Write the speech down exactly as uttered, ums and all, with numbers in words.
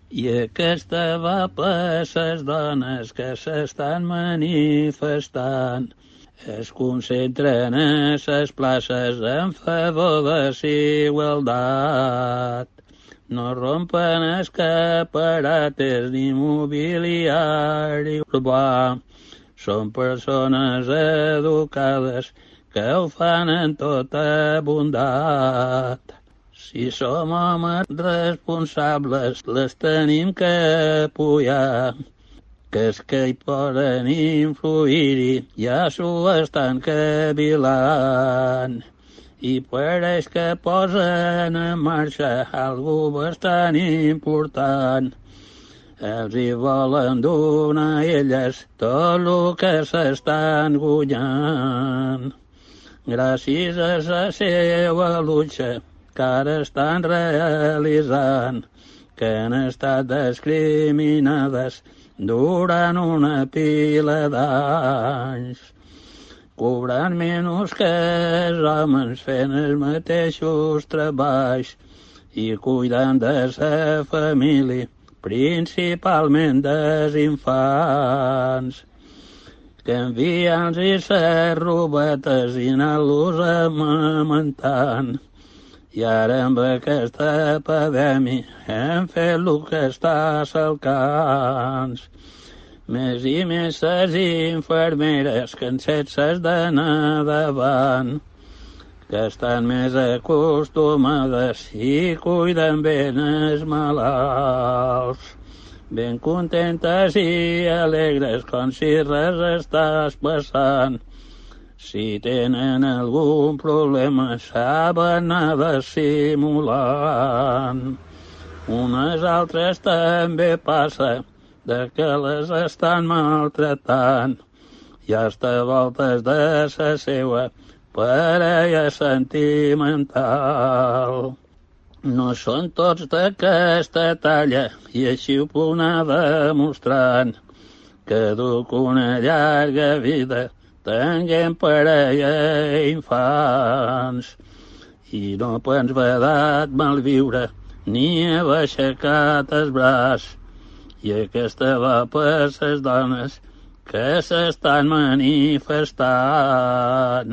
I aquesta va per les dones que s'estan manifestant. Es concentren a les places en favor de la igualtat. No rompen escaparates ni mobiliari urbà. Són persones educades que ho fan en tota bondat. Si som homes responsables, les tenim que apoyar, que és que hi poden influir-hi, ja s'ho estan cavilant. I pareix que posen en marxa algo bastant important. Els hi volen donar a elles tot el que s'estan guanyant. Gràcies a la seva lucha que ara estan realitzant, que han estat discriminades durant una pila d'anys, cobrant menys que els homes fent els mateixos treballs i cuidant de la família, principalment dels infants, canviant-los les robetes i anant-los amamentant. I ara amb aquesta epidèmia hem fet el que està al camp. Més i més les infermeres que en set s'has d'anar davant, que estan més acostumades i cuiden ben els malalts. Ben contentes i alegres com si res estàs passant. Si tenen algun problema saben anar dissimulant. Unes altres també passa de que les estan maltratant i hasta voltes de la seva parella sentimental. No són tots d'aquesta talla i així ho puc anar demostrant, que duc una llarga vida tenguem parella i infants, i no pens vedat malviure ni haver aixecat el braç, i aquesta va per les dones que s'estan manifestant.